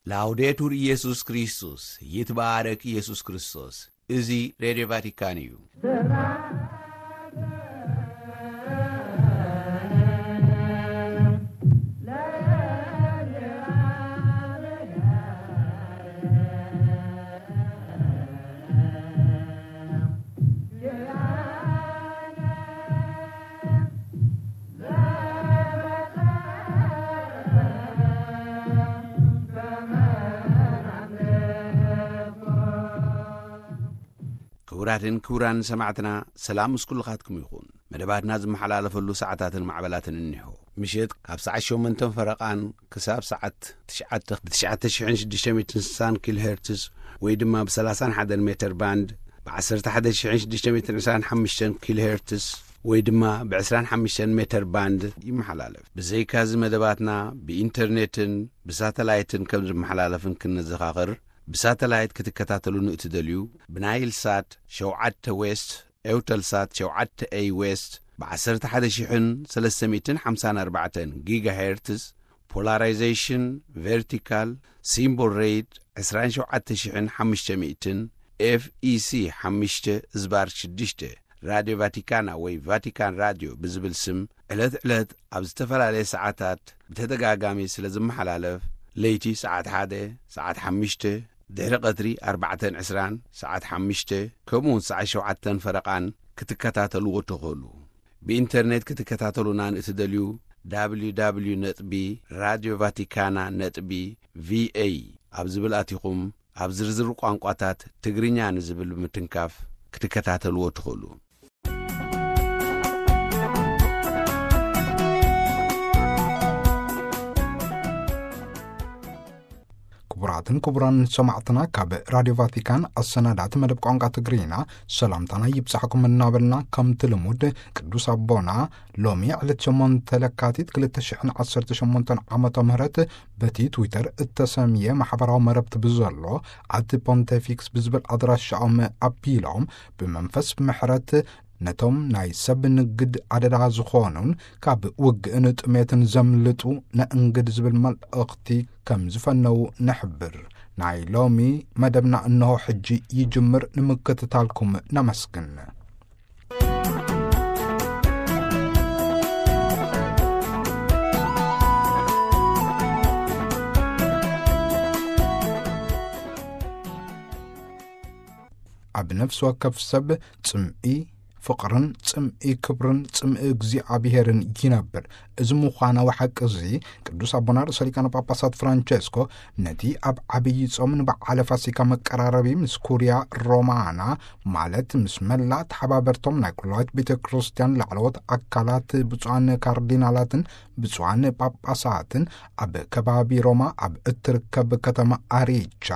ላውዴቱር ኢየሱስ ክርስቶስ፣ ይትባረክ ኢየሱስ ክርስቶስ። እዚ ሬድዮ ቫቲካን እዩ። ክቡራትን ክቡራን ሰማዕትና፣ ሰላም ምስ ኩልኻትኩም ይኹን። መደባትና ዝመሓላለፈሉ ሰዓታትን ማዕበላትን እኒሆ። ምሸት ካብ ሰዓት ሸሞንተን ፈረቓን ክሳብ ሰዓት ትሽዓተ ብ ትሽዓተ ሽሕን ሽዱሽተ ሚእትን ስሳን ኪሎ ሄርትዝ ወይ ድማ ብ ሰላሳን ሓደን ሜተር ባንድ፣ ብ ዓሰርተ ሓደ ሽሕን ሽዱሽተ ሚእትን ዕስራን ሓሙሽተን ኪሎ ሄርትዝ ወይ ድማ ብ ዕስራን ሓሙሽተን ሜተር ባንድ ይመሓላለፍ። ብዘይካዚ መደባትና ብኢንተርኔትን ብሳተላይትን ከም ዝመሓላለፍን ክንዘኻኽር፣ ብሳተላይት ክትከታተሉን እትደልዩ፣ ብናይል ሳት ሸውዓተ ዌስት፣ ኤውተል ሳት ሸውዓተ ኤይ ዌስት፣ ብ ዓሰርተ ሓደ ሽሕን ሰለስተ ሚእትን ሓምሳን ኣርባዕተን ጊጋ ሄርትዝ፣ ፖላራይዜሽን ቨርቲካል፣ ሲምቦል ሬት ዕስራን ሸውዓተ ሽሕን ሓሙሽተ ሚእትን፣ ኤፍ ኢ ሲ ሓሙሽተ ዝባር ሽዱሽተ፣ ራድዮ ቫቲካና ወይ ቫቲካን ራድዮ ብዝብል ስም ዕለት ዕለት ኣብ ዝተፈላለየ ሰዓታት ብተደጋጋሚ ስለ ዝመሓላለፍ፣ ለይቲ ሰዓት ሓደ፣ ሰዓት ሓሙሽተ፣ ድሕሪ ቀትሪ ኣርባዕተን ዕስራን፣ ሰዓት ሓሙሽተ፣ ከምኡውን ሰዓት ሸውዓተን ፈረቓን ክትከታተልዎ ትኽእሉ። ብኢንተርኔት ክትከታተሉና ንእትደልዩ፣ ደብሊው ደብሊው ደብሊው ነጥቢ ራድዮ ቫቲካና ነጥቢ ቪ ኤ ኣብ ዝብል ኣቲኹም፣ ኣብ ዝርዝር ቋንቋታት ትግርኛ ንዝብል ብምትንካፍ ክትከታተልዎ ትኽእሉ። ክቡራትን ክቡራን ሰማዕትና፣ ካብ ራድዮ ቫቲካን ኣሰናዳእቲ መደብ ቋንቋ ትግርኛ ሰላምታና ይብጻሕኩም እናበልና፣ ከምቲ ልሙድ ቅዱስ ኣቦና ሎሚ ዕለት ሸሞንተ ለካቲት ክልተ ሽሕን ዓሰርተ ሸሞንተን ዓመተ ምህረት በቲ ትዊተር እተሰምየ ማሕበራዊ መረብቲ ብዘሎ ኣቲ ፖንቴፊክስ ብዝብል ኣድራሻኦም ኣቢሎም፣ ብመንፈስ ምሕረት ነቶም ናይ ሰብ ንግድ ኣደዳ ዝኾኑን ካብ ውግእን ጥሜትን ዘምልጡ ነእንግድ ዝብል መልእኽቲ ከም ዝፈነዉ ንሕብር። ናይ ሎሚ መደብና እንሆ ሕጂ ይጅምር። ንምክትታልኩም ነመስግን። ኣብ ነፍሲ ወከፍ ሰብ ጽምኢ ፍቕርን ጽምኢ ክብርን ጽምኢ እግዚኣብሄርን ይነብር። እዚ ምዃናዊ ሓቂ እዚ ቅዱስ ኣቦና ርእሰ ሊቃነ ጳጳሳት ፍራንቸስኮ ነቲ ኣብ ዓብዪ ጾም ንበዓለ ፋሲካ መቀራረቢ ምስ ኩርያ ሮማና፣ ማለት ምስ መላእ ተሓባበርቶም ናይ ኩላዊት ቤተ ክርስቲያን ላዕለዎት ኣካላት፣ ብፁዓን ካርዲናላትን ብፁዓን ጳጳሳትን ኣብ ከባቢ ሮማ ኣብ እትርከብ ከተማ ኣሬቻ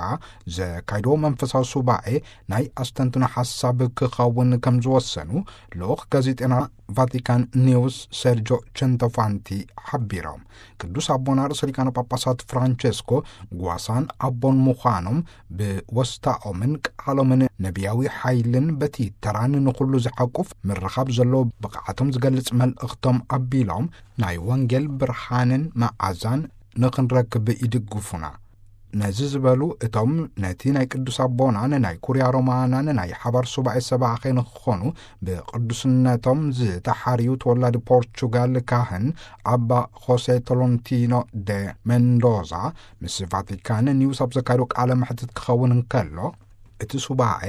ዘካይድዎ መንፈሳዊ ሱባኤ ናይ ኣስተንትኖ ሓሳብ ክኸውን ከም ዝወሰኑ ልኡኽ ጋዜጠና ቫቲካን ኒውስ ሰርጆ ቸንቶፋንቲ ሓቢሮም። ቅዱስ ኣቦና ርእሰ ሊቃነ ጳጳሳት ፍራንቸስኮ ጓሳን ኣቦን ምዃኖም ብወስታኦምን ቃሎምን ነቢያዊ ሓይልን በቲ ተራን ንኹሉ ዝሓቁፍ ምርኻብ ዘለዎ ብቕዓቶም ዝገልጽ መልእኽቶም ኣቢሎም፣ ናይ ወንጌል ብርሃንን መዓዛን ንኽንረክብ ይድግፉና። ነዚ ዝበሉ እቶም ነቲ ናይ ቅዱስ ኣቦናን ናይ ኩርያ ሮማናን ናይ ሓባር ሱባኤ ሰባኺ ንክኾኑ ብቅዱስነቶም ዝተሓርዩ ተወላዲ ፖርቹጋል ካህን ኣባ ሆሴ ቶሎንቲኖ ደ ሜንዶዛ ምስ ቫቲካን ኒውስ ኣብ ዘካየዱ ቃለ መሕትት ክኸውን እንከሎ፣ እቲ ሱባኤ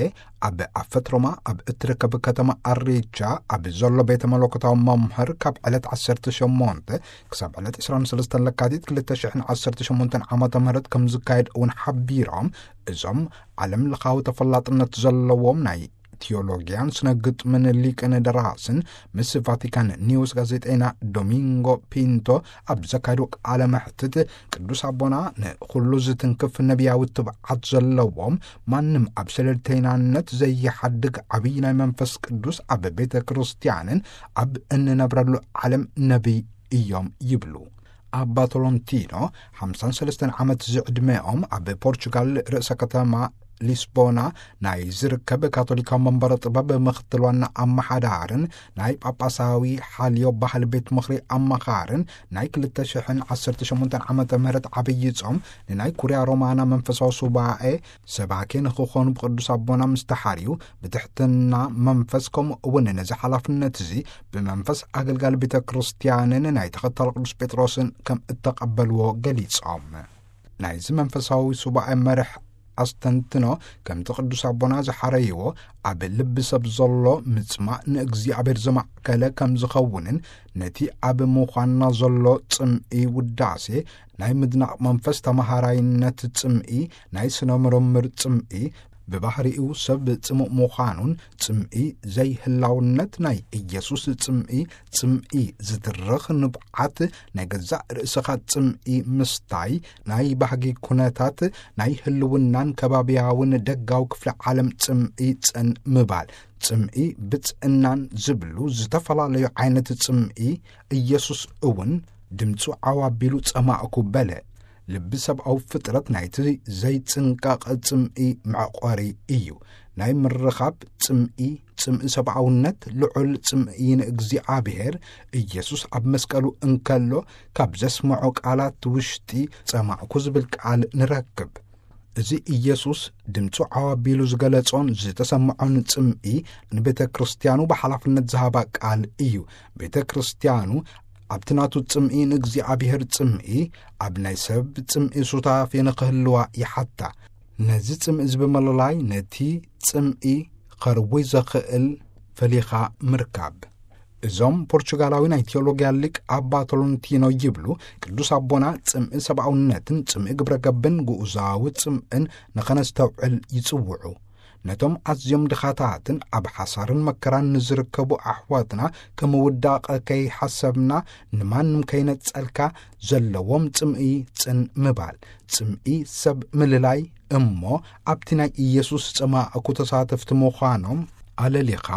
ኣብ ኣፈት ሮማ ኣብ እትርከብ ከተማ ኣሬቻ ኣብ ዘሎ ቤተ መለኮታዊ መምህር ካብ ዕለት ዓሰርተ ሸሞንተ ክሳብ ዕለት ዕስራን ሰለስተን ለካቲት ክልተ ሽሕን ዓሰርተ ሸሞንተን ዓመተ ምህረት ከም ዝካየድ እውን ሓቢሮም፣ እዞም ዓለም ለኻዊ ተፈላጥነት ዘለዎም ናይ ቲዮሎጊያን ስነ ግጥምን ሊቅን ደራስን ምስ ቫቲካን ኒውስ ጋዜጠኛ ዶሚንጎ ፒንቶ ኣብ ዘካየዱ ቃለ መሕትት፣ ቅዱስ ኣቦና ንኹሉ ዝትንክፍ ነቢያዊ ትብዓት ዘለዎም፣ ማንም ኣብ ሰለልተይናነት ዘይሓድግ ዓብዪ ናይ መንፈስ ቅዱስ ኣብ ቤተ ክርስቲያንን ኣብ እንነብረሉ ዓለም ነቢይ እዮም ይብሉ። ኣባ ቶሎንቲኖ ሓምሳን ሰለስተን ዓመት ዝዕድመኦም ኣብ ፖርቹጋል ርእሰ ከተማ ሊስቦና ናይ ዝርከብ ካቶሊካዊ መንበረ ጥበብ ምኽትል ዋና ኣመሓዳርን ናይ ጳጳሳዊ ሓልዮ ባህል ቤት ምኽሪ ኣመኻርን ናይ ክልተ ሽሕን ዓሰርተ ሸሞንተን ዓመተ ምህረት ዓብዪ ጾም ንናይ ኩርያ ሮማና መንፈሳዊ ሱባኤ ሰባኬ ንኽኾኑ ብቅዱስ ኣቦና ምስ ተሓርዩ ብትሕትና መንፈስ ከምኡ እውን ነዚ ሓላፍነት እዚ ብመንፈስ ኣገልጋሊ ቤተ ክርስቲያንን ናይ ተኸታሊ ቅዱስ ጴጥሮስን ከም እተቐበልዎ ገሊጾም። ናይዚ መንፈሳዊ ሱባኤ መርሕ ኣስተንትኖ ከምቲ ቅዱስ ኣቦና ዝሓረይዎ ኣብ ልቢ ሰብ ዘሎ ምጽማእ ንእግዚኣብሔር ዘማዕከለ ከም ዝኸውንን ነቲ ኣብ ምዃንና ዘሎ ጽምኢ ውዳሴ ናይ ምድናቕ መንፈስ ተመሃራይነት ጽምኢ ናይ ስነ ምርምር ጽምኢ ብባህሪኡ ሰብ ጽሙእ ምዃኑን ጽምኢ ዘይህላውነት ናይ ኢየሱስ ጽምኢ ጽምኢ ዝድርኽ ንብዓት ናይ ገዛእ ርእስኻ ጽምኢ ምስታይ ናይ ባህጊ ኩነታት ናይ ህልውናን ከባብያውን ደጋዊ ክፍለ ዓለም ጽምኢ ጽን ምባል ጽምኢ ብጽእናን ዝብሉ ዝተፈላለዩ ዓይነት ጽምኢ ኢየሱስ እውን ድምፁ ዓዋቢሉ ጸማእኩ በለ። ልቢ ሰብኣዊ ፍጥረት ናይቲ ዘይጽንቀቕ ጽምኢ መዕቆሪ እዩ። ናይ ምርኻብ ጽምኢ፣ ጽምኢ ሰብኣውነት፣ ልዑል ጽምኢ ንእግዚኣብሔር። ኢየሱስ ኣብ መስቀሉ እንከሎ ካብ ዘስምዖ ቃላት ውሽጢ ጸማእኩ ዝብል ቃል ንረክብ። እዚ ኢየሱስ ድምፁ ዓዋቢሉ ዝገለጾን ዝተሰምዖን ጽምኢ ንቤተ ክርስቲያኑ ብሓላፍነት ዝሃባ ቃል እዩ። ቤተ ክርስቲያኑ ኣብቲ ናቱ ጽምኢ ንእግዚኣብሔር ጽምኢ ኣብ ናይ ሰብ ጽምኢ ሱታፌ ንኽህልዋ ይሓታ። ነዚ ጽምኢ እዚ ብምልላይ ነቲ ጽምኢ ኸርዊ ዘኽእል ፈሊኻ ምርካብ። እዞም ፖርቹጋላዊ ናይ ቴዎሎጊያ ሊቅ ኣባ ቶሎንቲኖ ይብሉ፣ ቅዱስ ኣቦና ጽምኢ ሰብኣውነትን ጽምኢ ግብረ ገብን ግኡዛዊ ጽምእን ንኸነስተውዕል ይጽውዑ። ነቶም ኣዝዮም ድኻታትን ኣብ ሓሳርን መከራን ንዝርከቡ ኣሕዋትና ከም ውዳቐ ከይሓሰብና ንማንም ከይነጸልካ ዘለዎም ጽምኢ ጽን ምባል፣ ጽምኢ ሰብ ምልላይ እሞ ኣብቲ ናይ ኢየሱስ ጸማእኩ ተሳተፍቲ ምዃኖም ኣለሊኻ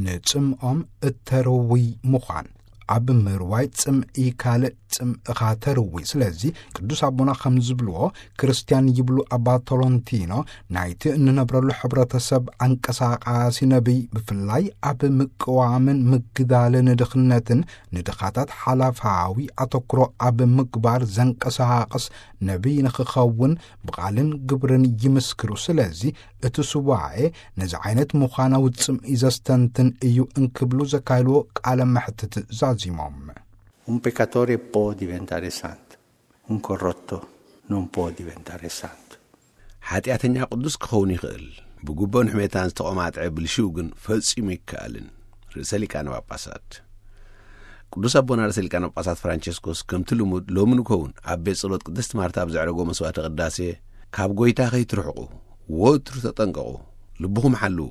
ንጽምኦም እተርውይ ምዃን። ኣብ ምርዋይ ጽምኢ ካልእ ጽምእኻ ተርዊ። ስለዚ ቅዱስ ኣቦና ከም ዝብልዎ፣ ክርስትያን ይብሉ ኣባ ቶሎንቲኖ፣ ናይቲ እንነብረሉ ሕብረተሰብ ኣንቀሳቓሲ ነቢይ፣ ብፍላይ ኣብ ምቅዋምን ምግዳልን ድኽነትን ንድኻታት ሓላፋዊ ኣተኩሮ ኣብ ምግባር ዘንቀሳቕስ ነቢይ ንኽኸውን ብቓልን ግብርን ይምስክሩ። ስለዚ እቲ ሱባኤ ነዚ ዓይነት ምዃናዊ ጽምኢ ዘስተንትን እዩ እንክብሉ ዘካየድዎ ቃለ መሕትት ዛዚሞም። Un peccatore può diventare santo, un corrotto non può diventare santo. ሓጢኣተኛ ቅዱስ ክኸውን ይኽእል፣ ብጉቦን ሕሜታን ዝተቖማጥዐ ብልሽው ግን ፈጺሙ ይከኣልን። ርእሰ ሊቃነ ጳጳሳት ቅዱስ ኣቦና ርእሰ ሊቃነ ጳጳሳት ፍራንቸስኮስ ከምቲ ልሙድ ሎሚ ንከውን ኣብ ቤት ጸሎት ቅድስት ማርታ ኣብ ዘዕረጎ መስዋዕተ ቅዳሴ፣ ካብ ጎይታ ከይትርሕቁ ወትሩ ተጠንቀቑ፣ ልብኹም ሓልዉ፣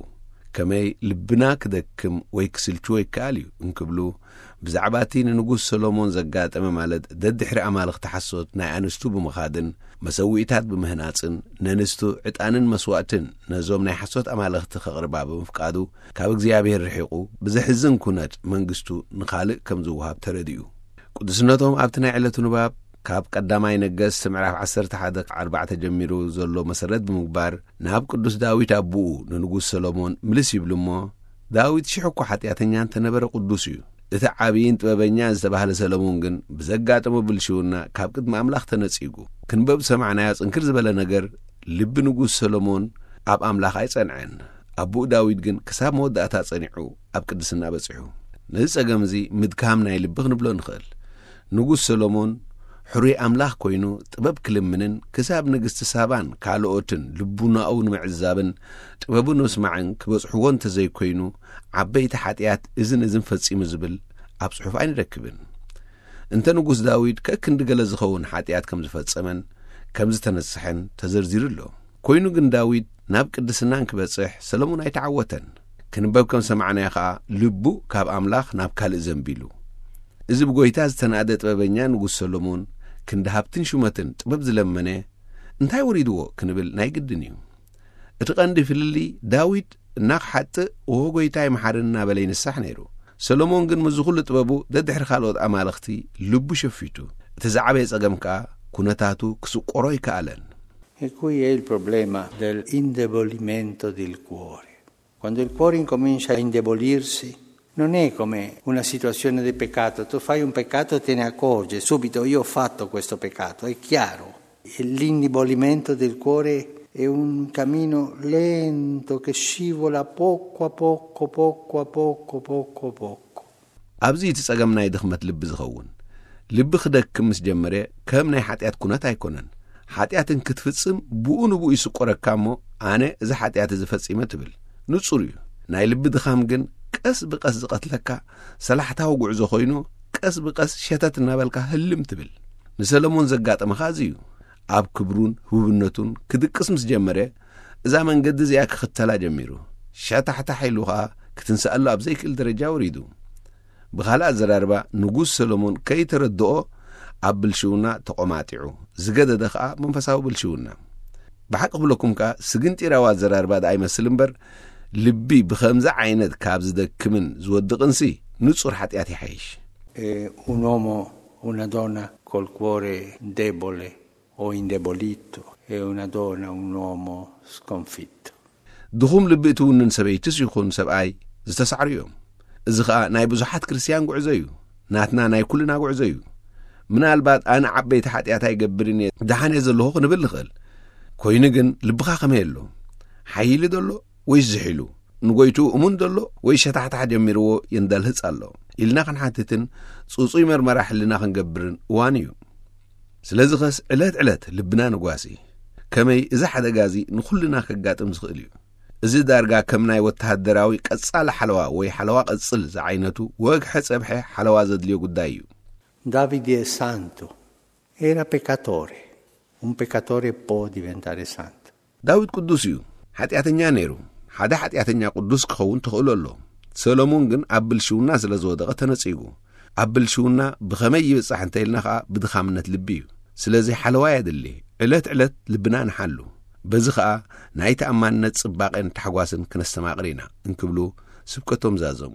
ከመይ ልብና ክደክም ወይ ክስልችዎ ይከኣል እዩ እንክብሉ፣ ብዛዕባ እቲ ንንጉስ ሰሎሞን ዘጋጠመ፣ ማለት ደድሕሪ ኣማልኽቲ ሓሶት ናይ ኣንስቱ ብምኻድን መሰውኢታት ብምህናጽን ነንስቱ ዕጣንን መስዋእትን ነዞም ናይ ሓሶት ኣማልኽቲ ከቕርባ ብምፍቃዱ፣ ካብ እግዚኣብሔር ርሒቑ ብዘሕዝን ኩነት መንግስቱ ንኻልእ ከም ዝወሃብ ተረዲኡ። ቅዱስነቶም ኣብቲ ናይ ዕለቱ ንባብ ካብ ቀዳማይ ነገስት ምዕራፍ ዓሰርተ ሓደ ኣርባዕተ ጀሚሩ ዘሎ መሰረት ብምግባር፣ ናብ ቅዱስ ዳዊት ኣቦኡ ንንጉስ ሰሎሞን ምልስ ይብሉ እሞ፣ ዳዊት ሽሕ እኳ ሓጢኣተኛ እንተነበረ ቅዱስ እዩ። እቲ ዓብይን ጥበበኛን ዝተባህለ ሰሎሞን ግን ብዘጋጠሞ ብልሽውና ካብ ቅድሚ ኣምላኽ ተነጺጉ። ክንበብ ዝሰማዕናዮ ጽንክር ዝበለ ነገር፣ ልቢ ንጉስ ሰሎሞን ኣብ ኣምላኽ ኣይጸንዐን። ኣቦኡ ዳዊት ግን ክሳብ መወዳእታ ጸኒዑ ኣብ ቅድስና በጺሑ። ነዚ ጸገም እዚ ምድካም ናይ ልቢ ክንብሎ ንኽእል። ንጉስ ሰሎሞን ሕሩይ ኣምላኽ ኮይኑ ጥበብ ክልምንን ክሳብ ንግስቲ ሳባን ካልኦትን ልቡናኡ ንምዕዛብን ጥበቡ ንምስማዕን ክበጽሕዎ እንተዘይኮይኑ፣ ዓበይቲ ሓጢኣት እዝን እዝን ፈጺሙ ዝብል ኣብ ጽሑፍ ኣይንረክብን። እንተ ንጉስ ዳዊት ከክንዲ ገለ ዝኸውን ሓጢኣት ከም ዝፈጸመን ከም ዝተነስሐን ተዘርዚሩ ኣሎ። ኮይኑ ግን ዳዊት ናብ ቅድስናን ክበጽሕ ሰሎሞን ኣይተዓወተን። ክንበብ ከም ሰማዕናዮ ኸኣ ልቡ ካብ ኣምላኽ ናብ ካልእ ዘንቢሉ። እዚ ብጎይታ ዝተናእደ ጥበበኛ ንጉስ ሰሎሞን ክንዲ ሃብትን ሹመትን ጥበብ ዝለመነ እንታይ ወሪድዎ ክንብል ናይ ግድን እዩ። እቲ ቀንዲ ፍልልይ ዳዊት እናኽሓጥእ "ኦ ጎይታይ መሓረኒ" እናበለ ይንሳሕ ነይሩ። ሰሎሞን ግን ምስዚ ኩሉ ጥበቡ ደድሕሪ ካልኦት ኣማልኽቲ ልቡ ሸፊቱ። እቲ ዝዓበየ ጸገም ከኣ ኩነታቱ ክስቆሮ ኣይከኣለን። E qui è il problema dell'indebolimento del cuore. Quando il cuore incomincia a indebolirsi, non è come una situazione di peccato. Tu fai un peccato e te ne accorgi subito, io ho fatto questo peccato, è chiaro. E l'indebolimento del cuore è un cammino lento che scivola poco a poco, poco a poco, poco a poco. ኣብዚ እቲ ጸገም ናይ ድኽመት ልቢ ዝኸውን። ልቢ ክደክም ምስ ጀመረ፣ ከም ናይ ሓጢኣት ኩነት ኣይኮነን። ሓጢኣትን ክትፍጽም ብኡ ንብኡ ይስቆረካ እሞ፣ ኣነ እዚ ሓጢኣት እዚ ፈጺመ ትብል። ንጹር እዩ። ናይ ልቢ ድኻም ግን ቀስ ብቐስ ዝቐትለካ ሰላሕታዊ ጉዕዞ ኮይኑ፣ ቀስ ብቐስ ሸተት እናበልካ ህልም ትብል። ንሰለሞን ዘጋጠመ ኸኣ እዚ እዩ። ኣብ ክብሩን ህቡብነቱን ክድቅስ ምስ ጀመረ፣ እዛ መንገዲ እዚኣ ክኽተላ ጀሚሩ። ሸታሕታሕ ኢሉ ኸኣ ክትንስኣሉ ኣብ ዘይክእል ደረጃ ወሪዱ። ብኻልእ ኣዘራርባ፣ ንጉስ ሰሎሞን ከይተረድኦ ኣብ ብልሽውና ተቖማጢዑ፣ ዝገደደ ኸኣ መንፈሳዊ ብልሽውና። ብሓቂ ክብለኩም ከኣ፣ ስግንጢራዊ ኣዘራርባ ደኣ ይመስል እምበር፣ ልቢ ብኸምዚ ዓይነት ካብ ዝደክምን ዝወድቕንሲ ንጹር ሓጢኣት ይሓይሽ። E un uomo, una donna col cuore debole o indebolito, e una donna, un uomo sconfitto. ድኹም ልቢ እትውንን ሰበይትስ ይኹን ሰብኣይ ዝተሳዕሩ እዮም። እዚ ኸኣ ናይ ብዙሓት ክርስትያን ጉዕዞ እዩ። ናትና ናይ ኩልና ጉዕዞ እዩ። ምናልባት ኣነ ዓበይቲ ሓጢኣት ኣይገብርን እየ፣ ደሓን እየ ዘለኹ ክንብል ንኽእል። ኮይኑ ግን ልብኻ ከመይ ኣሎ? ሓይሊ ደሎ ወይስ ዝሒሉ? ንጎይትኡ እሙን ደሎ ወይ ሸታሕታሕ ጀሚርዎ የንዳልህጽ ኣሎ? ኢልና ክንሓትትን ጽጹይ መርመራ ሕልና ክንገብርን እዋን እዩ። ስለዚ ኸስ ዕለት ዕለት ልብና ንጓሲ። ከመይ እዚ ሓደጋ እዚ ንኹልና ከጋጥም ዝኽእል እዩ። እዚ ዳርጋ ከም ናይ ወተሃደራዊ ቀጻሊ ሓለዋ ወይ ሓለዋ ቀጽል ዝዓይነቱ ወግሐ ጸብሐ ሓለዋ ዘድልዮ ጉዳይ እዩ። Davide è santo, era peccatore. Un peccatore può diventare santo. ዳዊት ቅዱስ እዩ። ሓጢኣተኛ ነይሩ። ሓደ ሓጢኣተኛ ቅዱስ ክኸውን ተኽእሎ ኣሎ። ሰሎሞን ግን ኣብ ብልሽውና ስለ ዝወደቐ ተነጺጉ። ኣብ ብልሽውና ብኸመይ ይብጻሕ እንተ ኢልና ኸኣ ብድኻምነት ልቢ እዩ። ስለዚ ሓለዋ የድሊ። ዕለት ዕለት ልብና ንሓሉ። በዚ ኸኣ ናይ ተኣማንነት ጽባቐን ታሕጓስን ክነስተማቕር ኢና እንክብሉ ስብከቶም ዛዘሙ።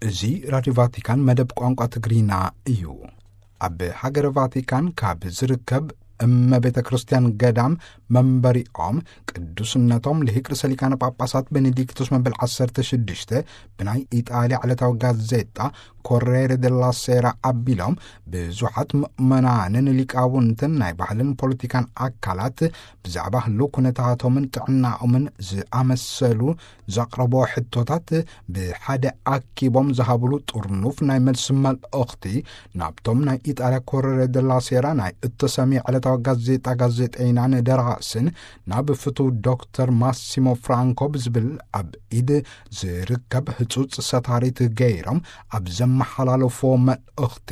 እዚ ራድዮ ቫቲካን መደብ ቋንቋ ትግርኛ እዩ። ኣብ ሃገረ ቫቲካን ካብ ዝርከብ እመ ቤተ ክርስቲያን ገዳም መንበሪኦም ቅዱስነቶም ልሂቅ ርእሰ ሊቃነ ጳጳሳት ቤኔዲክቶስ መበል ዓሰርተ ሽዱሽተ ብናይ ኢጣልያ ዕለታዊ ጋዜጣ ኮሬሬ ደላ ሴራ ኣቢሎም፣ ብዙሓት ምእመናንን ሊቃውንትን ናይ ባህልን ፖለቲካን ኣካላት ብዛዕባ ህልው ኩነታቶምን ጥዕናኦምን ዝኣመሰሉ ዘቕረቦ ሕቶታት ብሓደ ኣኪቦም ዝሃብሉ ጥርኑፍ ናይ መልሲ መልእኽቲ ናብቶም ናይ ኢጣልያ ኮሬሬ ደላ ሴራ ናይ እተሰምየ ዕለታዊ ጋዜጣ ጋዜጠይናን ደራስን ናብ ፍቱው ዶክተር ማሲሞ ፍራንኮ ብዝብል ኣብ ኢድ ዝርከብ ህጹጽ ሰታሪት ገይሮም ኣብ ዘመሓላለፎ መልእኽቲ፣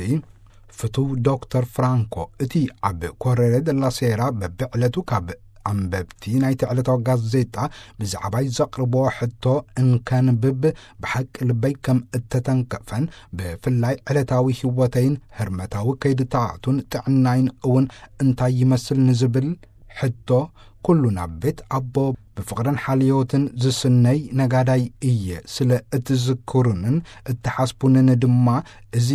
ፍቱው ዶክተር ፍራንኮ፣ እቲ ኣብ ኮሬሬ ደላ ሴራ በብዕለቱ ካብ ኣንበብቲ ናይቲ ዕለታዊ ጋዜጣ ብዛዕባይ ዘቕርቦ ሕቶ እንከንብብ ብሓቂ ልበይ ከም እተተንከፈን፣ ብፍላይ ዕለታዊ ህይወተይን ህርመታዊ ከይድታቱን ጥዕናይን እውን እንታይ ይመስል ንዝብል ሕቶ፣ ኩሉ ናብ ቤት ኣቦ ብፍቕርን ሓልዮትን ዝስነይ ነጋዳይ እየ። ስለ እትዝክሩንን እትሓስቡንን ድማ እዚ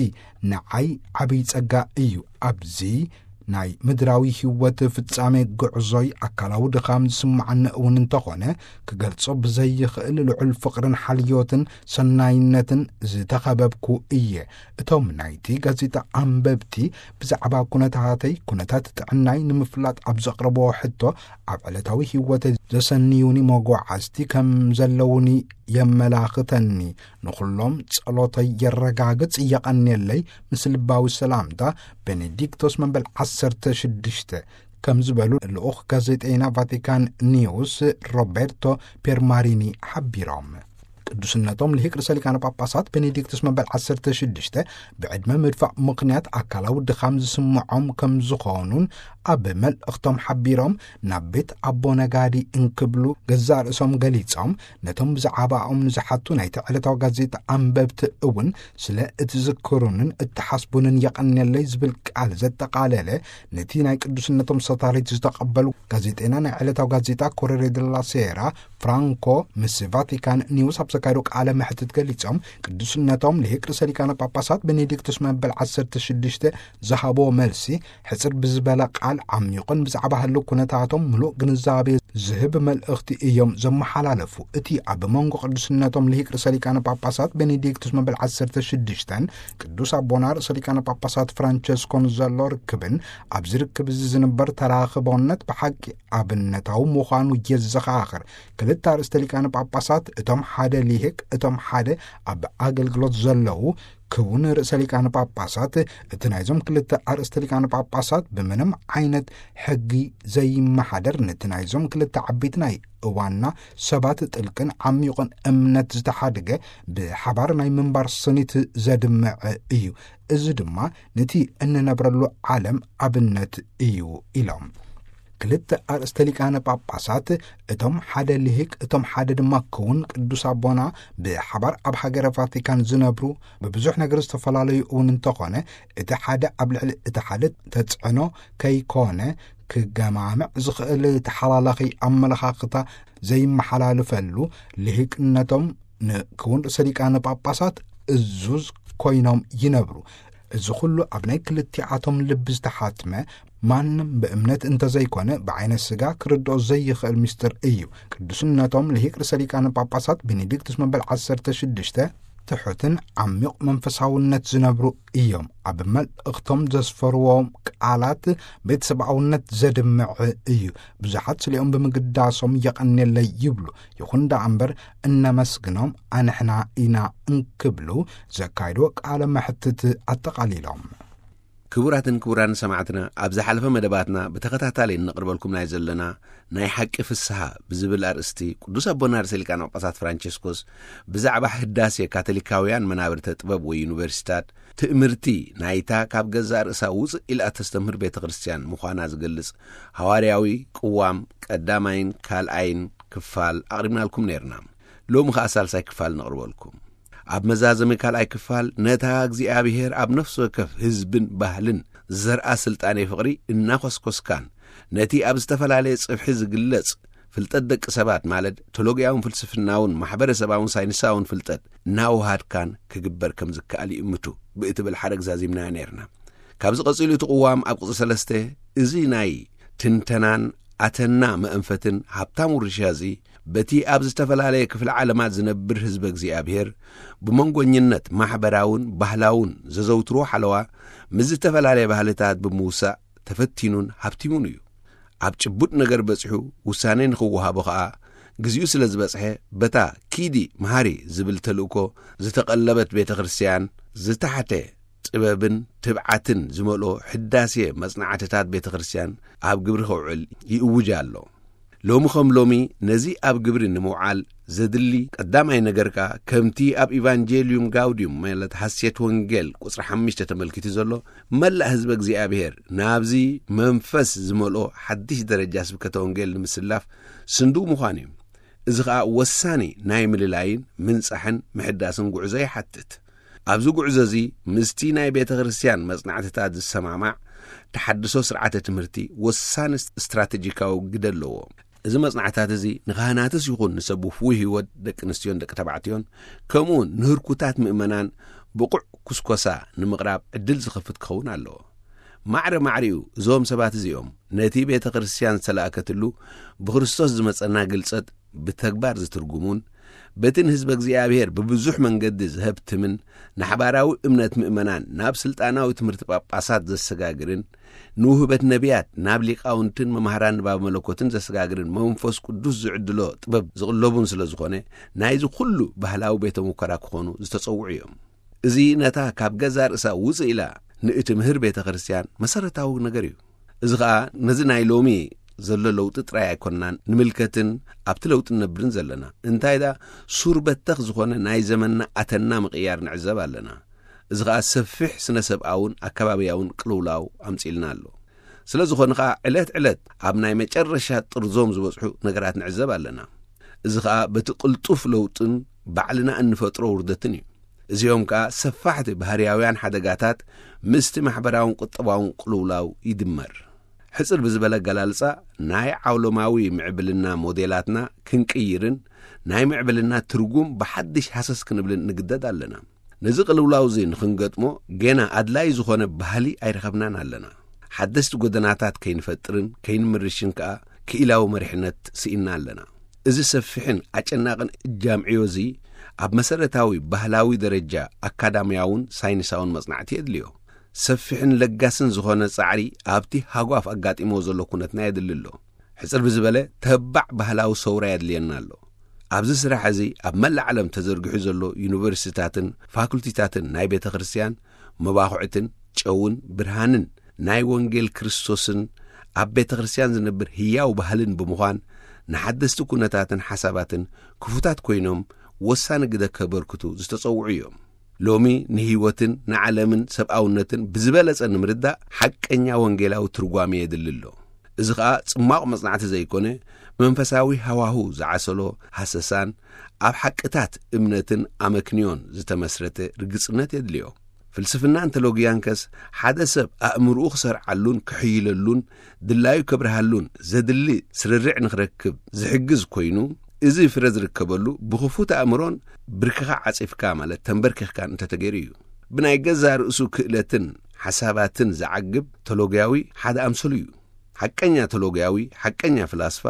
ንዓይ ዓብይ ጸጋ እዩ። ኣብዚ ናይ ምድራዊ ህይወት ፍጻሜ ጉዕዞይ ኣካላዊ ድኻም ዝስምዓኒ እውን እንተኾነ፣ ክገልጾ ብዘይኽእል ልዑል ፍቕርን ሓልዮትን ሰናይነትን ዝተኸበብኩ እየ። እቶም ናይቲ ጋዜጣ ኣንበብቲ ብዛዕባ ኩነታተይ፣ ኩነታት ጥዕናይ ንምፍላጥ ኣብ ዘቕረብዎ ሕቶ፣ ኣብ ዕለታዊ ህይወተይ ዘሰንዩኒ መጓዓዝቲ ከም ዘለዉኒ የመላኽተኒ። ንኹሎም ጸሎተይ የረጋግጽ፣ የቐንየለይ፣ ምስ ልባዊ ሰላምታ፣ ቤኔዲክቶስ መበል ዓሰርተ ሽዱሽተ፣ ከም ዝበሉ ልኡኽ ጋዜጠይና ቫቲካን ኒውስ ሮቤርቶ ፔርማሪኒ ሓቢሮም። ቅዱስነቶም ልሂቅ ርእሰ ሊቃነ ጳጳሳት ቤኔዲክቱስ መበል ዓሰርተ ሽዱሽተ ብዕድመ ምድፋእ ምኽንያት ኣካላዊ ድኻም ዝስምዖም ከም ዝኾኑን ኣብ መልእኽቶም ሓቢሮም፣ ናብ ቤት ኣቦ ነጋዲ እንክብሉ ገዛእ ርእሶም ገሊጾም፣ ነቶም ብዛዕባኦም ንዝሓቱ ናይቲ ዕለታዊ ጋዜጣ ኣንበብቲ እውን ስለ እትዝክሩንን እትሓስቡንን የቐንየለይ ዝብል ቃል ዘጠቓለለ፣ ነቲ ናይ ቅዱስነቶም ሰታሪት ዝተቐበሉ ጋዜጠይና ናይ ዕለታዊ ጋዜጣ ኮሬሬ ደላ ሴራ ፍራንኮ ምስ ቫቲካን ኒውስ ኣብ ዘካየዱ ቃለ መሕትት ገሊጾም፣ ቅዱስነቶም ልሂቅ ርእሰ ሊቃነ ጳጳሳት ቤኔዲክቱስ መበል ዓሰርተ ሽዱሽተ ዝሃብዎ መልሲ፣ ሕጽር ብዝበለ ቃል ዓሚቑን ብዛዕባ ህልው ኩነታቶም ምሉእ ግንዛቤ ዝህብ መልእኽቲ እዮም ዘመሓላለፉ። እቲ ኣብ መንጎ ቅዱስነቶም ልሂቅ ርእሰ ሊቃነ ጳጳሳት ቤኔዲክቱስ መበል ዓሰርተ ሽዱሽተን ቅዱስ ኣቦና ርእሰ ሊቃነ ጳጳሳት ፍራንቸስኮን ዘሎ ርክብን ኣብዚ ርክብ እዚ ዝንበር ተራኽቦነት ብሓቂ ኣብነታዊ ምዃኑ የዘኻኽር። ክልተ ኣርእስተ ሊቃነ ጳጳሳት፣ እቶም ሓደ ሊሂቅ፣ እቶም ሓደ ኣብ ኣገልግሎት ዘለዉ፣ ክውን ርእሰ ሊቃነ ጳጳሳት፣ እቲ ናይዞም ክልተ ኣርእስተ ሊቃነ ጳጳሳት ብምንም ዓይነት ሕጊ ዘይመሓደር፣ ነቲ ናይዞም ክልተ ዓበይቲ ናይ እዋንና ሰባት ጥልቅን ዓሚቑን እምነት ዝተሓድገ ብሓባር ናይ ምንባር ስኒት ዘድምዕ እዩ። እዚ ድማ ነቲ እንነብረሉ ዓለም ኣብነት እዩ ኢሎም። ክልተ ኣርእስተ ሊቃነ ጳጳሳት፣ እቶም ሓደ ልሂቅ፣ እቶም ሓደ ድማ ክውን ቅዱስ ኣቦና ብሓባር ኣብ ሃገረ ቫቲካን ዝነብሩ ብብዙሕ ነገር ዝተፈላለዩ እውን እንተኾነ፣ እቲ ሓደ ኣብ ልዕሊ እቲ ሓደ ተጽዕኖ ከይኮነ ክገማምዕ ዝኽእል ተሓላላኺ ኣመለኻኽታ ዘይመሓላልፈሉ ልሂቅነቶም ንክውን ርእሰ ሊቃነ ጳጳሳት እዙዝ ኮይኖም ይነብሩ። እዚ ኩሉ ኣብ ናይ ክልቲኣቶም ልቢ ዝተሓትመ፣ ማንም ብእምነት እንተዘይኮነ ብዓይነ ስጋ ክርድኦ ዘይኽእል ምስጢር እዩ። ቅዱስነቶም ልሂቅ ርእሰ ሊቃነ ጳጳሳት ቤኔዲክቱስ መበል ዓሰርተ ሽዱሽተ ትሑትን ዓሚቕ መንፈሳውነት ዝነብሩ እዮም። ኣብ መልእኽቶም ዘስፈርዎም ቃላት ቤተሰብኣውነት ዘድምዕ እዩ። ብዙሓት ስሊኦም ብምግዳሶም የቐንየለይ ይብሉ። ይኹን ደኣ እምበር እነመስግኖም ኣንሕና ኢና እንክብሉ ዘካይድዎ ቃለ መሕትት ኣጠቓሊሎም። ክቡራትን ክቡራን ሰማዕትና፣ ኣብ ዝሓለፈ መደባትና ብተኸታታሊ እነቕርበልኩም ናይ ዘለና ናይ ሓቂ ፍስሃ ብዝብል ኣርእስቲ ቅዱስ ኣቦና ርእሰ ሊቃነ ጳጳሳት ፍራንቸስኮስ ብዛዕባ ህዳሴ ካቶሊካውያን መናብርተ ጥበብ ወይ ዩኒቨርሲታት ትእምርቲ ናይታ ካብ ገዛእ ርእሳ ውፅእ ኢላ ተስተምህር ቤተ ክርስቲያን ምዃና ዝገልጽ ሃዋርያዊ ቅዋም ቀዳማይን ካልኣይን ክፋል ኣቕሪብናልኩም ነይርና። ሎሚ ኸኣ ሳልሳይ ክፋል ነቕርበልኩም። ኣብ መዛዘሚ ካልኣይ ክፋል ነታ እግዚኣብሔር ኣብ ነፍሲ ወከፍ ህዝብን ባህልን ዘርኣ ስልጣኔ ፍቕሪ እናኾስኮስካን ነቲ ኣብ ዝተፈላለየ ጽፍሒ ዝግለጽ ፍልጠት ደቂ ሰባት ማለት ቶሎግያውን ፍልስፍናውን ማሕበረሰባውን ሳይንሳውን ፍልጠት እናወሃድካን ክግበር ከም ዝከኣል ይእምቱ ብእትብል ሓረግ ዛዚምናዮ ነይርና። ካብዚ ቀጺሉ እቲ ቅዋም ኣብ ቅጽ ሰለስተ፣ እዚ ናይ ትንተናን ኣተና መእንፈትን ሃብታም ውርሻ እዚ፣ በቲ ኣብ ዝተፈላለየ ክፍለ ዓለማት ዝነብር ህዝበ እግዚኣብሔር፣ ብመንጎኝነት ማሕበራውን ባህላውን ዘዘውትሮ ሓለዋ፣ ምስ ዝተፈላለየ ባህልታት ብምውሳእ ተፈቲኑን ሃብቲሙን እዩ። ኣብ ጭቡጥ ነገር በጺሑ ውሳኔ ንኽወሃቦ ኸኣ፣ ግዚኡ ስለ ዝበጽሐ፣ በታ ኪዲ መሃሪ ዝብል ተልእኮ ዝተቐለበት ቤተ ክርስቲያን፣ ዝተሓተ ጥበብን ትብዓትን ዝመልኦ ሕዳሴ መጽናዕትታት ቤተ ክርስቲያን ኣብ ግብሪ ከውዕል ይእውጅ ኣሎ። ሎሚ ከም ሎሚ ነዚ ኣብ ግብሪ ንምውዓል ዘድሊ ቀዳማይ ነገር ከኣ፣ ከምቲ ኣብ ኢቫንጀልዩም ጋውድዩም፣ ማለት ሓሴት ወንጌል ቁጽሪ ሓሙሽተ ተመልኪቱ ዘሎ፣ መላእ ህዝበ እግዚኣብሔር ናብዚ መንፈስ ዝመልኦ ሓድሽ ደረጃ ስብከተ ወንጌል ንምስላፍ ስንዱ ምዃን እዩ። እዚ ኸኣ ወሳኒ ናይ ምልላይን ምንጻሕን ምሕዳስን ጉዕዞ ይሓትት። ኣብዚ ጉዕዞ እዚ ምስቲ ናይ ቤተ ክርስቲያን መጽናዕትታት ዝሰማማዕ ተሓድሶ ስርዓተ ትምህርቲ ወሳኒ ስትራቴጂካዊ ግደ ኣለዎ። እዚ መጽናዕትታት እዚ ንኻህናትስ ይኹን ንሰብ ውፉይ ህይወት ደቂ ኣንስትዮን ደቂ ተባዕትዮን፣ ከምኡውን ንህርኩታት ምእመናን ብቑዕ ኩስኮሳ ንምቕራብ ዕድል ዝኸፍት ክኸውን ኣለዎ። ማዕረ ማዕሪኡ እዞም ሰባት እዚኦም ነቲ ቤተ ክርስቲያን ዝተላእከትሉ ብክርስቶስ ዝመጸና ግልጸት ብተግባር ዝትርጉሙን፣ በቲ ንህዝበ እግዚኣብሔር ብብዙሕ መንገዲ ዝሀብትምን፣ ንሓባራዊ እምነት ምእመናን ናብ ስልጣናዊ ትምህርቲ ጳጳሳት ዘሰጋግርን፣ ንውህበት ነቢያት ናብ ሊቃውንትን መማህራን ንባብ መለኮትን ዘሰጋግርን መንፈስ ቅዱስ ዝዕድሎ ጥበብ ዝቕለቡን ስለ ዝኾነ፣ ናይዚ ኩሉ ባህላዊ ቤተ ሙከራ ክኾኑ ዝተጸውዑ እዮም። እዚ ነታ ካብ ገዛ ርእሳ ውጽእ ኢላ ንእትምህር ቤተ ክርስቲያን መሰረታዊ ነገር እዩ። እዚ ኸኣ ነዚ ናይ ሎሚ ዘሎ ለውጢ ጥራይ ኣይኮንናን ንምልከትን ኣብቲ ለውጢ ንነብርን ዘለና። እንታይ ደኣ ሱር በተኽ ዝኾነ ናይ ዘመንና ኣተና ምቕያር ንዕዘብ ኣለና። እዚ ኸኣ ሰፊሕ ስነ ሰብኣውን ኣከባብያውን ቅልውላው ኣምጺልና ኣሎ። ስለ ዝኾነ ኸኣ ዕለት ዕለት ኣብ ናይ መጨረሻ ጥርዞም ዝበጽሑ ነገራት ንዕዘብ ኣለና። እዚ ኸኣ በቲ ቅልጡፍ ለውጥን ባዕልና እንፈጥሮ ውርደትን እዩ። እዚኦም ከኣ ሰፋሕቲ ባህርያውያን ሓደጋታት ምስቲ ማሕበራውን ቁጠባውን ቅልውላው ይድመር። ሕጽር ብዝበለ ኣገላልጻ፣ ናይ ዓውሎማዊ ምዕብልና ሞዴላትና ክንቅይርን ናይ ምዕብልና ትርጉም ብሓድሽ ሃሰስ ክንብልን ንግደድ ኣለና። ነዚ ቅልውላው እዚ ንኽንገጥሞ ጌና ኣድላይ ዝኾነ ባህሊ ኣይረኸብናን ኣለና። ሓደስቲ ጎደናታት ከይንፈጥርን ከይንምርሽን ከኣ ክኢላዊ መሪሕነት ስኢንና ኣለና። እዚ ሰፊሕን ኣጨናቕን እጃምዕዮ እዚ ኣብ መሰረታዊ ባህላዊ ደረጃ ኣካዳምያውን ሳይንሳውን መጽናዕቲ የድልዮ። ሰፊሕን ለጋስን ዝኾነ ጻዕሪ ኣብቲ ሃጓፍ ኣጋጢሞ ዘሎ ኩነትና የድሊ ኣሎ። ሕጽር ብዝበለ ተባዕ ባህላዊ ሰውራ የድልየና ኣሎ። ኣብዚ ስራሕ እዚ ኣብ መላእ ዓለም ተዘርጊሑ ዘሎ ዩኒቨርሲቲታትን ፋኩልቲታትን ናይ ቤተ ክርስቲያን መባኹዕትን ጨውን ብርሃንን ናይ ወንጌል ክርስቶስን ኣብ ቤተ ክርስቲያን ዝነብር ህያው ባህልን ብምዃን ንሓደስቲ ኩነታትን ሓሳባትን ክፉታት ኮይኖም ወሳኒ ግደ ከበርክቱ ዝተጸውዑ እዮም። ሎሚ ንህይወትን ንዓለምን ሰብኣውነትን ብዝበለጸ ንምርዳእ ሓቀኛ ወንጌላዊ ትርጓሜ የድሊ ኣሎ። እዚ ኸኣ ጽማቕ መጽናዕቲ ዘይኮነ፣ መንፈሳዊ ሃዋሁ ዝዓሰሎ ሃሰሳን ኣብ ሓቅታት እምነትን ኣመክንዮን ዝተመስረተ ርግጽነት የድልዮ። ፍልስፍናን ቴሎጊያን ከስ ሓደ ሰብ ኣእምርኡ ክሰርዓሉን ክሕይለሉን ድላዩ ከብርሃሉን ዘድሊ ስርርዕ ንኽረክብ ዝሕግዝ ኮይኑ፣ እዚ ፍረ ዝርከበሉ ብኽፉት ኣእምሮን ብርክኻ ዓጺፍካ ማለት ተንበርኪኽካን እንተተገይሩ እዩ። ብናይ ገዛ ርእሱ ክእለትን ሓሳባትን ዝዓግብ ቴሎጊያዊ ሓደ ኣምሰሉ እዩ። ሓቀኛ ቴሎጊያዊ፣ ሓቀኛ ፍላስፋ፣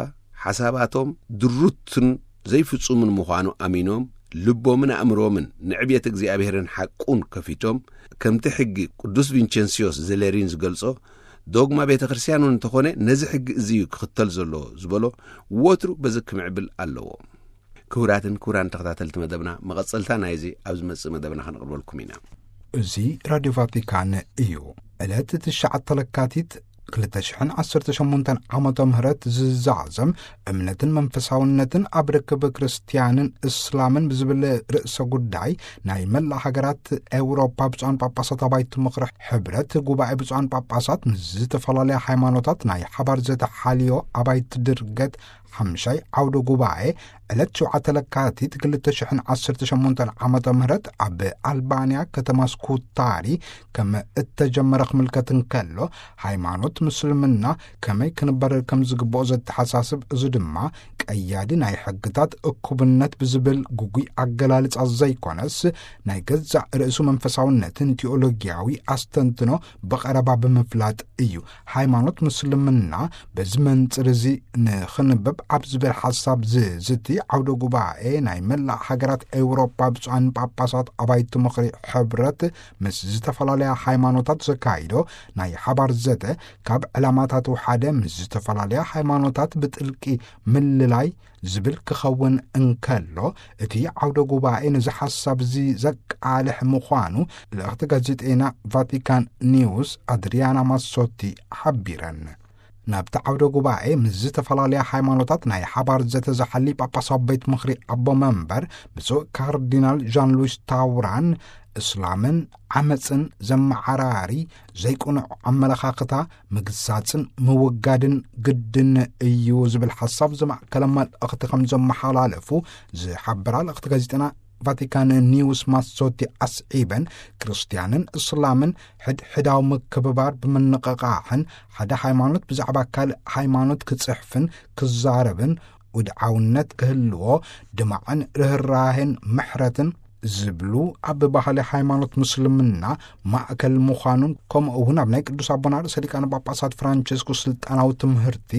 ሓሳባቶም ድሩትን ዘይፍጹምን ምዃኑ ኣሚኖም፣ ልቦምን ኣእምሮምን ንዕብየት እግዚኣብሔርን ሓቁን ከፊቶም፣ ከምቲ ሕጊ ቅዱስ ቪንቸንሲዮስ ዘሌሪን ዝገልጾ፣ ዶግማ ቤተ ክርስቲያን እውን እንተኾነ ነዚ ሕጊ እዚ እዩ ክኽተል ዘለዎ ዝበሎ፣ ወትሩ በዚ ክምዕብል ኣለዎ። ክቡራትን ክቡራን ተኸታተልቲ መደብና፣ መቐጸልታ ናይዚ ኣብ ዝመጽእ መደብና ከነቕርበልኩም ኢና። እዚ ራድዮ ቫቲካን እዩ። ዕለት ትሽዓተ ለካቲት ክልተ ሽሕን ዓሰርተ ሸሞንተን ዓመተ ምህረት ዝዛዘም እምነትን መንፈሳውነትን ኣብ ርክብ ክርስትያንን እስላምን ብዝብል ርእሰ ጉዳይ ናይ መላእ ሃገራት ኤውሮፓ ብፁዓን ጳጳሳት ኣባይቲ ምኽሪ ሕብረት ጉባኤ ብፁዓን ጳጳሳት ምስ ዝተፈላለያ ሃይማኖታት ናይ ሓባር ዘተሓልዮ ኣባይቲ ድርገት ሓምሻይ ዓውደ ጉባኤ ዕለት ሸውዓተ ለካቲት ክልተ ሽሕን ዓሰርተ ሸሞንተን ዓመተ ምህረት ኣብ ኣልባንያ ከተማ ስኩታሪ ከም እተጀመረ ክምልከት እንከሎ፣ ሃይማኖት ምስልምና ከመይ ክንበር ከም ዝግብኦ ዘተሓሳስብ፣ እዚ ድማ ቀያዲ ናይ ሕግታት እኩብነት ብዝብል ግጉይ ኣገላልጻ ዘይኮነስ፣ ናይ ገዛእ ርእሱ መንፈሳውነትን ቲኦሎጊያዊ ኣስተንትኖ ብቐረባ ብምፍላጥ እዩ። ሃይማኖት ምስልምና በዚ መንጽር እዚ ንኽንብብ ኣብ ዝብል ሓሳብ ዝዝቲ ዓውደ ጉባኤ ናይ መላእ ሃገራት ኤውሮጳ ብፁዓን ጳጳሳት ኣባይቲ ምኽሪ ሕብረት ምስ ዝተፈላለያ ሃይማኖታት ዘካይዶ ናይ ሓባር ዘተ፣ ካብ ዕላማታቱ ሓደ ምስ ዝተፈላለያ ሃይማኖታት ብጥልቂ ምልላይ ዝብል ክኸውን እንከሎ፣ እቲ ዓውደ ጉባኤ ነዚ ሓሳብ እዚ ዘቃልሕ ምዃኑ ልእኽቲ ጋዜጠይና ቫቲካን ኒውስ ኣድሪያና ማሶቲ ሓቢረን። ናብቲ ዓውደ ጉባኤ ምስ ዝተፈላለያ ሃይማኖታት ናይ ሓባር ዘተ ዝሓሊ ጳጳሳዊ ቤት ምኽሪ ኣቦ መንበር ብፁዕ ካርዲናል ዣን ሉዊስ ታውራን፣ እስላምን ዓመፅን ዘመዓራሪ ዘይቅኑዕ ኣመለኻኽታ ምግሳፅን ምውጋድን ግድን እዩ ዝብል ሓሳብ ዘማእከለ መልእኽቲ ከም ዘመሓላለፉ ዝሓበራ ልእኽቲ ጋዜጠና ቫቲካን ኒውስ ማሶቲ ኣስዒበን፣ ክርስትያንን እስላምን ሕድሕዳዊ ምክብባር ብምንቕቓሕን ሓደ ሃይማኖት ብዛዕባ ካልእ ሃይማኖት ክጽሕፍን ክዛረብን ውድዓውነት ክህልዎ ድማዕን ርህራሄን ምሕረትን ዝብሉ ኣብ ባህሊ ሃይማኖት ምስልምና ማእከል ምዃኑን፣ ከምኡ እውን ኣብ ናይ ቅዱስ ኣቦና ርእሰ ሊቃነ ጳጳሳት ፍራንቸስኮስ ስልጣናዊ ትምህርቲ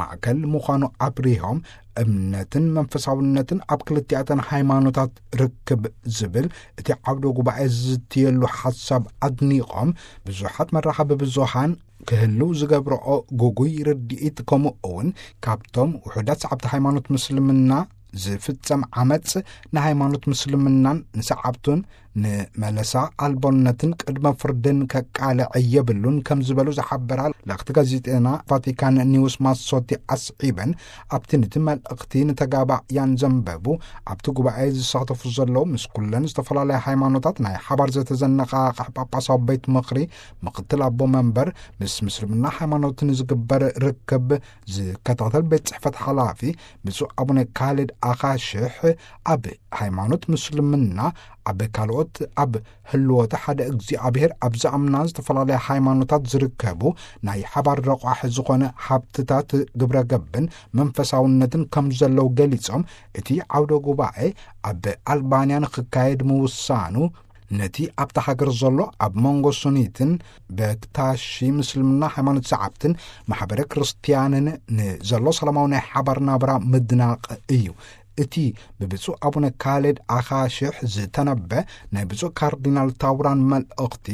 ማእከል ምዃኑ ኣብሪሆም፣ እምነትን መንፈሳውነትን ኣብ ክልቲኣተን ሃይማኖታት ርክብ ዝብል እቲ ዓውደ ጉባኤ ዝዝትየሉ ሓሳብ ኣድኒቖም፣ ብዙሓት መራኸቢ ብዙሃን ክህልው ዝገብርኦ ግጉይ ርድኢት፣ ከምኡ እውን ካብቶም ውሑዳት ሰዓብቲ ሃይማኖት ምስልምና ዝፍጸም ዓመጽ ንሃይማኖት ምስልምናን ንሰዓብቱን ንመለሳ ኣልቦነትን ቅድመ ፍርድን ከቃልዕ የብሉን ከም ዝበሉ ዝሓበራ ልእኽቲ ጋዜጠና ቫቲካን ኒውስ ማሶቲ ኣስዒበን፣ ኣብቲ ነቲ መልእኽቲ ንተጋባእያን ዘንበቡ፣ ኣብቲ ጉባኤ ዝሳተፉ ዘለዉ ምስ ኩለን ዝተፈላለያ ሃይማኖታት ናይ ሓባር ዘተዘነቓቕሕ ጳጳሳዊ ቤት ምኽሪ ምኽትል ኣቦ መንበር፣ ምስ ምስልምና ሃይማኖት ንዝግበር ርክብ ዝከታተል ቤት ጽሕፈት ሓላፊ ብፁዕ ኣቡነ ካልድ ኣኻሽሕ፣ ኣብ ሃይማኖት ምስልምና ኣብ ካልኦት ኣብ ህልወተ ሓደ እግዚኣብሔር ኣብ ዝኣምና ዝተፈላለያ ሃይማኖታት ዝርከቡ ናይ ሓባር ረቋሒ ዝኾነ ሃብትታት ግብረ ገብን መንፈሳውነትን ከም ዘለዉ ገሊጾም፣ እቲ ዓውደ ጉባኤ ኣብ ኣልባንያ ንኽካየድ ምውሳኑ፣ ነቲ ኣብታ ሃገር ዘሎ ኣብ መንጎ ሱኒትን በክታሺ ምስልምና ሃይማኖት ሰዓብትን ማሕበረ ክርስትያንን ንዘሎ ሰላማዊ ናይ ሓባር ናብራ ምድናቕ እዩ። እቲ ብብፁዕ ኣቡነ ካሌድ ኣኻሽሕ ዝተነበ ናይ ብፁዕ ካርዲናል ታውራን መልእኽቲ፣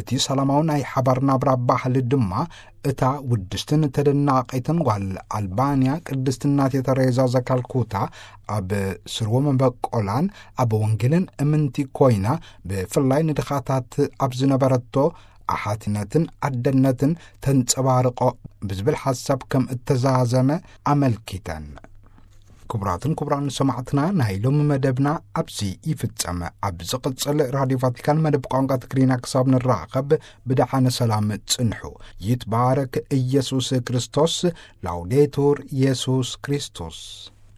እቲ ሰላማዊ ናይ ሓባር ናብራ ባህሊ ድማ እታ ውድስትን ተደናቒትን ጓል ኣልባንያ ቅድስቲ እናቴ ተሬዛ ዘካልኩታ ኣብ ስርወ መበቆላን ኣብ ወንጌልን እምንቲ ኮይና፣ ብፍላይ ንድኻታት ኣብ ዝነበረቶ ኣሓትነትን ኣደነትን ተንጸባርቆ ብዝብል ሓሳብ ከም እተዛዘመ ኣመልኪተን። ክቡራትን ክቡራን ሰማዕትና፣ ናይ ሎሚ መደብና ኣብዚ ይፍጸም። ኣብ ዝቕጽል ራድዮ ቫቲካን መደብ ቋንቋ ትግርኛ ክሳብ ንራኸብ ብደሓነ ሰላም ጽንሑ። ይትባረክ ኢየሱስ ክርስቶስ። ላውዴቱር ኢየሱስ ክርስቶስ።